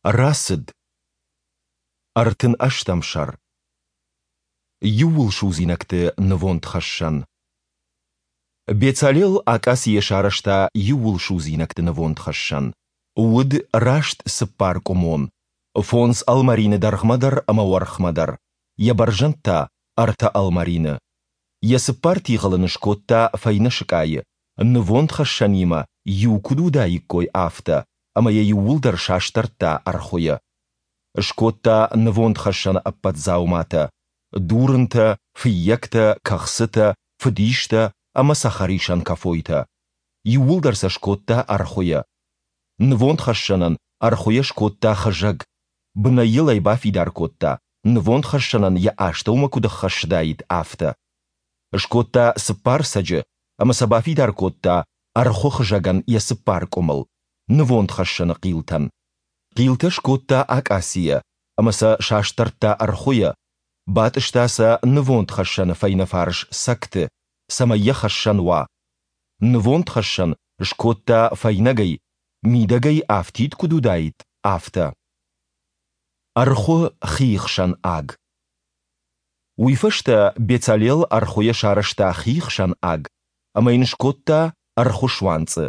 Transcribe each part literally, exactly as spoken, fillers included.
Рацыд. Ӕртын ӕстӕм сӕр. Иууылсудзинӕгты нывондхӕссӕн. Бецалел акъацийӕ сарӕзта иууылсудзинӕгты нывондхӕссӕн. Уыд раст цыппӕркъуымон, фондз ӕлмӕрины дӕргъмӕ дӕр ӕмӕ уӕрхмӕ дӕр, йӕ бӕрзӕнд та ӕртӕ ӕлмӕрины. Йӕ цыппар тигъыл ын скодта фӕйнӕ сыкъайы, нывондхӕссӕнимӕ иу куыд уыдаиккой, афтӕ, ӕмӕ йӕ иууылдӕр састӕрдта ӕрхуыйӕ. Скодта нывондхӕссӕны ӕппӕт дзауматӕ: дурынтӕ, фыййӕгтӕ, кӕхцытӕ, фыдистӕ ӕмӕ цӕхӕрисӕн кӕфойтӕ. Иууылдӕр сӕ скодта ӕрхуыйӕ. Нывондхӕссӕнӕн ӕрхуыйӕ скодта хызӕг, бынӕй йыл ӕй бафидар кодта, нывондхӕссӕнӕн йӕ астӕумӕ куыд ӕххӕссыдаид, афтӕ. Скодта цыппар цӕджы ӕмӕ сӕ бафидар кодта ӕрхуы хызӕгӕн йӕ цыппар къуымыл, нывондхӕссӕны хъилтӕн. Хъилтӕ скодта акъацийӕ ӕмӕ сӕ састӕрдта ӕрхуыйӕ, батъыста сӕ нывондхӕссӕны фӕйнӕфарс цӕгты, цӕмӕй йӕ хӕссӕн уа. Нывондхӕссӕн скодта фӕйнӕгӕй, мидӕгӕй афтид куыд уыдаид, афтӕ. Ӕрхуы хиихсӕн аг. Уый фӕстӕ Бецалел ӕрхуыйӕ сарӕзта хиихсӕн аг ӕмӕ йын скодта ӕрхуы суанцъы.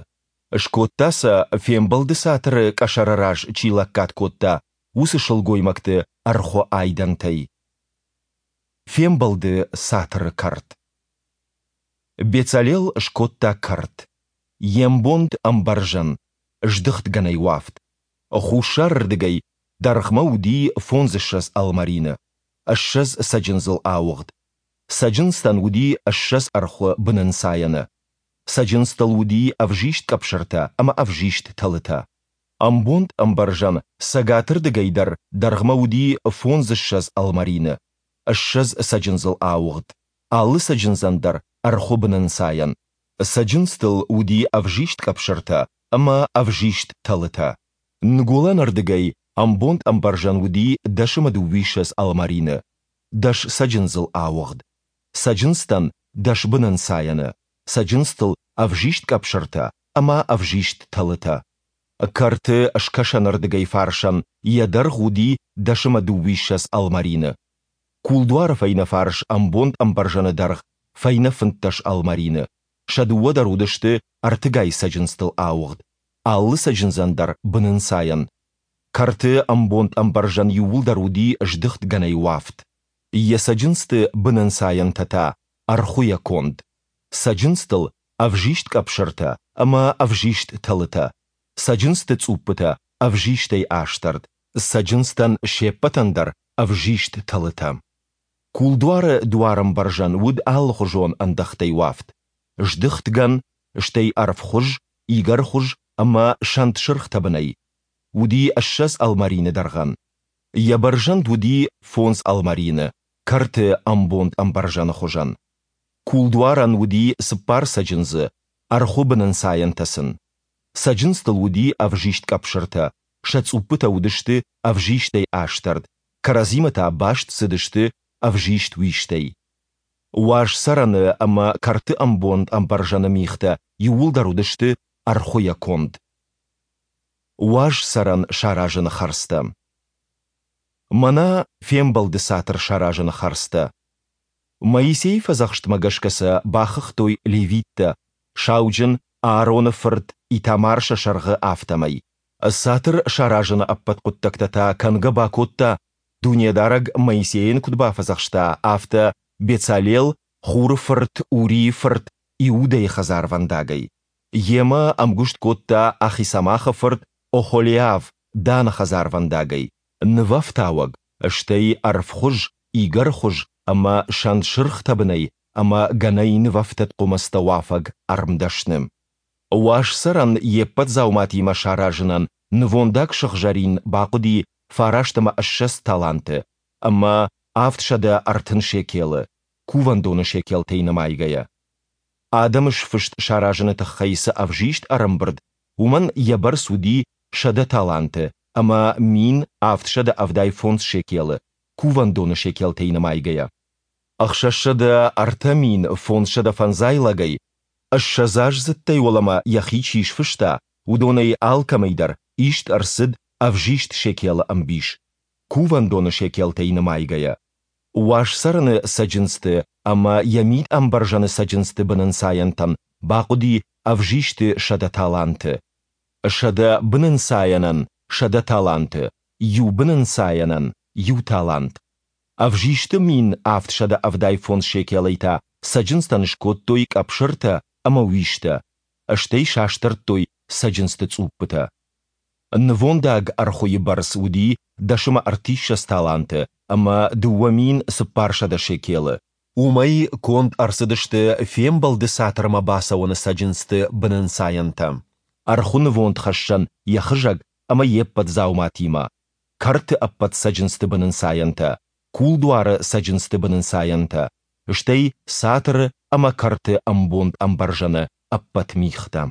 Скодта сӕ, Фембӕлды цатыры къӕсӕры раз чи лӕггад кодта, уыцы сылгоймӕгты ӕрхуы айдӕнтӕй. Фембӕлды цатыры кӕрт. Бецалел скодта кӕрт. Йе мбонд ӕмбӕрзӕн, здыхтгӕнӕй уӕфт. Хуссарырдыгӕй дӕргъмӕ уыди фондзыссӕдз ӕлмӕрины, ссӕдз цӕджындзыл ауыгъд. Цӕджындзтӕн уыди ссӕдз ӕрхуы бынӕнцайӕны. Цӕджындзтыл уыди ӕвзист къӕпсыртӕ ӕмӕ ӕвзист тӕлытӕ. Ӕмбонд ӕмбӕрзӕн цӕгатырдыгӕй дӕр дӕргъмӕ уыди фондзыссӕдз ӕлмӕрины, ссӕдз цӕджындзыл ауыгъд, алы цӕджындзӕн дӕр ӕрхуы бынӕнцайӕн. Цӕджындзтыл уыди ӕвзист къӕпсыртӕ ӕмӕ ӕвзист тӕлытӕ. Ныгуылӕнырдыгӕй ӕмбонд ӕмбӕрзӕн уыди дӕс ӕмӕ дыууиссӕдз ӕлмӕрины, дӕс цӕджындзыл ауыгъд. Цӕджындзтӕн дӕс бынӕнцайӕны, цӕджындзтыл ӕвзист къӕпсыртӕ ӕмӕ ӕвзист тӕлытӕ. Кӕрты скӕсӕнырдыгӕй фарсӕн йӕ дӕргъ уыди дӕс ӕмӕ дыууиссӕдз ӕлмӕрины. Кулдуары фӕйнӕ фарс ӕмбонд ӕмбӕрзӕны дӕргъ фӕйнӕ фынддӕс ӕлмӕрины. Сӕ дыууӕ дӕр уыдысты ӕртыгай цӕджындзтыл ауыгъд, алы цӕджындзӕн дӕр бынӕнцайӕн. Кӕрты ӕмбонд ӕмбӕрзӕн иууылдӕр уыди здыхт гӕнӕй уӕфт. Йӕ цӕджындзты бынӕнцайӕнтӕ та ӕрхуыйӕ конд. Цӕджындзтыл ӕвзист къӕпсыртӕ ӕмӕ ӕвзист тӕлытӕ, цӕджындзты цъуппытӕ ӕвзистӕй астӕрд, цӕджындзтӕн се ппӕтӕн дӕр ӕвзист тӕлытӕ. Кулдуары дуарӕмбӕрзӕн уыд алыхуызон ӕндӕхтӕй уӕфт: здыхт гӕн, стӕй ӕрвхуыз, игӕрхуыз ӕмӕ сӕнтсырх тӕбынӕй. Уыди ссӕдз ӕлмӕрины дӕргъӕн. Йӕ бӕрзӕнд уыди фондз ӕлмӕрины, кӕрты ӕмбонд ӕмбӕрзӕны хуызӕн. Кулдуарӕн уыди цыппар цӕджындзы, ӕрхуы бынӕнцайӕнтӕ сын. Цӕджындзтыл уыди ӕвзист къӕпсыртӕ, сӕ цъуппытӕ уыдысты ӕвзистӕй астӕрд, кӕрӕдзимӕ та баст цыдысты ӕвзист уистӕй. Уаз цӕрӕны ӕмӕ кӕрты ӕмбонд ӕмбӕрзӕны михтӕ иууылдӕр уыдысты ӕрхуыйӕ конд. Уаз цӕрӕн саразыны хӕрдзтӕ. Мӕнӕ Фембӕлды цатыр саразыны хӕрдзтӕ. Моисейы фӕдзӕхстмӕ гӕсгӕ сӕ бахыгътой левиттӕ, сауджын Аароны фырт Итамар сӕ сӕргъы, афтӕмӕй. Цатыр саразыны ӕппӕт хъуыддӕгтӕ та кӕнгӕ бакодта, Дунедарӕг Моисейӕн куыд бафӕдзӕхста, афтӕ Бецалел, Хуры фырт Урийы фырт Иудӕйы хӕдзарвӕндагӕй. Йемӕ ӕмгуыст кодта Ахисамахы фырт Охолиав Даны хӕдзарвӕндагӕй, нывӕфтауӕг, стӕй ӕрвхуыз, игӕрхуыз ӕмӕ сӕнтсырх тӕбынӕй ӕмӕ гӕнӕй нывӕфтыд хъуымӕцтӕ уафӕг ӕрмдӕсны. Уаз цӕрӕн йе ппӕт дзауматимӕ саразынӕн нывондаг сыгъзӕрин бахъуыди фараст ӕмӕ ссӕдз таланты ӕмӕ авдсӕдӕ ӕртын шекелы, кувӕндоны шекелтӕй нымайгӕйӕ. Адӕмы сфыст саразыны тыххӕй цы ӕвзист ӕрӕмбырд, уымӕн йӕ бӕрц уыди сӕдӕ таланты ӕмӕ мин авдсӕдӕ ӕвдай фондз шекелы, кувӕндоны шекелтӕй нымайгӕйӕ. Ӕхсӕзсӕдӕ ӕртӕ мин фондзсӕдӕ фӕндзай лӕгӕй, ссӕдзаздзыдтӕй уӕлӕмӕ йӕхи чи сфыста, уыдонӕй алкӕмӕй дӕр ист ӕрцыд ӕвзист шекелы ӕмбис, кувӕндоны шекелтӕй нымайгӕйӕ. Уаз цӕрӕны цӕджындзты ӕмӕ йӕ мид-ӕмбӕрзӕны цӕджындзты бынӕнцайӕнтӕн бахъуыди ӕвзисты сӕдӕ таланты. Сӕдӕ бынӕнцайӕнӕн сӕдӕ таланты, иу бынӕнцайӕнӕн, иу талант. Ӕвзисты мин авдсӕдӕ ӕвдай фондз шекелӕй та цӕджындзтӕн скодтой къӕпсыртӕ ӕмӕ уистӕ, стӕй састӕрдтой цӕджындзты цъуппытӕ. Нывондаг ӕрхуыйы бӕрц уыди дӕс ӕмӕ ӕртиссӕдз таланты ӕмӕ дыууӕ мин цыппарсӕдӕ шекелы. Уымӕй конд ӕрцыдысты Фембӕлды Цатырмӕ бацӕуӕны цӕджындзты бынӕнцайӕнтӕ, ӕрхуы нывондхӕссӕн йӕ хызӕг ӕмӕ йе ппӕт дзауматимӕ, кӕрты ӕппӕт цӕджындзты бынӕнцайӕнтӕ, кулдуары цӕджындзты бынӕнцайӕнтӕ, стӕй цатыры ӕмӕ кӕрты ӕмбонд-ӕмбӕрзӕны ӕппӕт михтӕ.